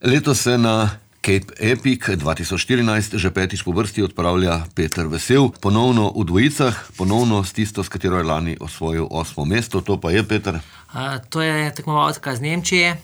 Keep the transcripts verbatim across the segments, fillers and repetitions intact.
Letos se na Cape Epic dva tisoč štirinajst že petič po vrsti odpravlja Peter Vesel, ponovno v dvojicah, ponovno s tisto, s katero je lani osvojil osmo mesto. To pa je, Peter? Uh, to je tekmovalka z Nemčije,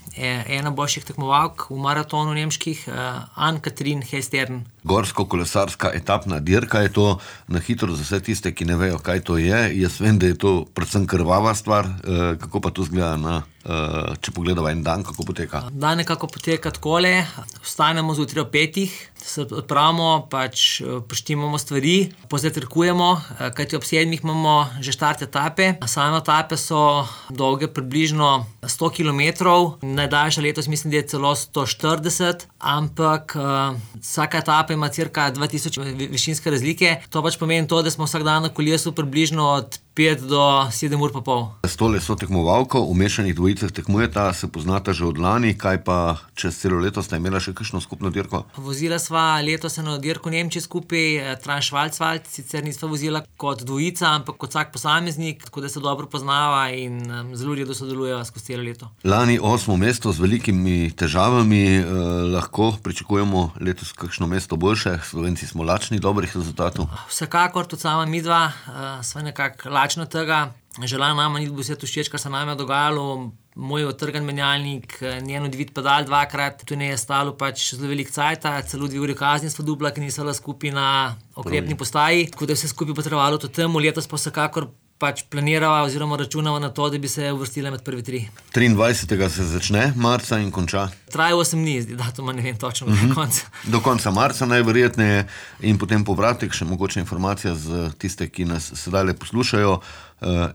ena boljših tekmovalk v maratonu nemških, uh, Ann-Kathrin Hestern. Gorsko-kolesarska etapna dirka je to. Na hitro za vse tiste, ki ne vejo, kaj to je. Jaz vem, da je to predvsem krvava stvar. Uh, kako pa to zgleda na, uh, če pogledava en dan, kako poteka? Dan nekako poteka takole, vstanemo zjutraj ob petih, se odpravimo, pač poštimamo stvari, pozajtrkujemo, kajti ob sedmih imamo že štart etape. Same etape so dolge približno sto kilometrov, najdaljša letos mislim, da je celo sto štirideset, ampak uh, vsaka etapa ima cirka dva tisoč višinske razlike. To pač pomeni to, da smo vsak dan na kolesu približno od pet do sedem ur pa pol. S tole so tekmovalko, v mešanih dvojicah tekmujeta, se poznata že od lani, kaj pa čez celo leto sta imela še kakšno skupno dirko? Vozila sva letos eno dirko Nemčije skupaj, Trans-Schwarzwald, sicer nisva vozila kot dvojica, ampak kot vsak posameznik, tako da se dobro poznava in um, zelo redo sodelujeva skozi celo leto. Lani osmo mesto z velikimi težavami, eh, lahko pričakujemo letos kakšno mesto boljše, Slovenci smo lačni dobrih rezultatov. Vsekakor, tudi sama midva, uh, sva nekako lačna tega. Žela nama ni bilo vse to všeč, kar se nam je dogajalo, moj otrgan menjalnik, njen odvit pedal dvakrat, tu ne je stalo pač zelo veliko cajta, celo dve uri kazni sva dubla, ki nisva skupaj na okrepni postaji, tako da je vse skupaj potrebovalo to temu. Letos pa vsekakor pač planirava oziroma računava na to, da bi se uvrstila med prvi tri. triindvajsetega se začne marca in konča? Traja osem dni, datuma ne vem točno, do konca. Do konca marca najverjetneje in potem povratek, še mogoče informacija za tiste, ki nas sedaj poslušajo,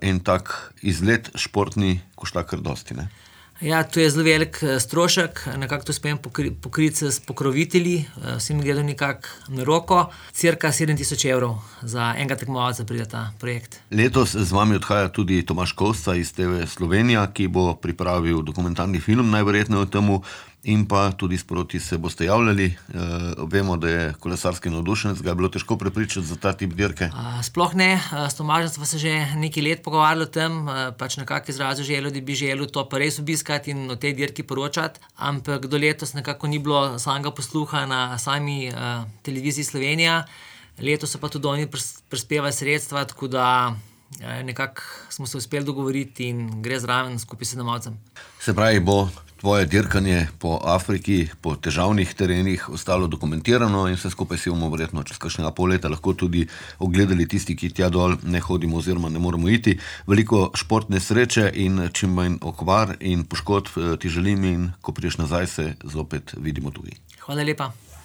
en tak izlet športni košta kar dosti, ne? Ja, to je zelo velik strošek, nekako to uspem pokri, pokriti s pokrovitelji, vsi mi gledajo nekako na roko, cirka sedem tisoč evrov za enega tekmovalca pride ta projekt. Letos z vami odhaja tudi Tomaž Kovsca iz T V Slovenija, ki bo pripravil dokumentarni film, najverjetneje o temu, in pa tudi sproti se boste javljali. E, vemo, da je kolesarski navdušenec, ga je bilo težko prepričati za ta tip dirke? A, sploh ne, s Tomažem smo se že nekaj let pogovarjali o tem, pač nekako izrazil željo, da bi želel to pa res obiskati in o tej dirki poročati, ampak do letos nekako ni bilo samega posluha na sami uh, televiziji Slovenija. Letos so pa tudi oni prispevali sredstva, tako da nekako smo se uspeli dogovoriti in gre zraven skupaj s domovcem. Se pravi, bo tvoje dirkanje po Afriki, po težavnih terenih ostalo dokumentirano in vse skupaj si bomo verjetno čez kakšnega pol leta lahko tudi ogledali tisti, ki tja dol ne hodimo oziroma ne moramo iti. Veliko športne sreče in čim manj okvar in poškodb ti želim in ko prideš nazaj, se zopet vidimo tudi. Hvala lepa.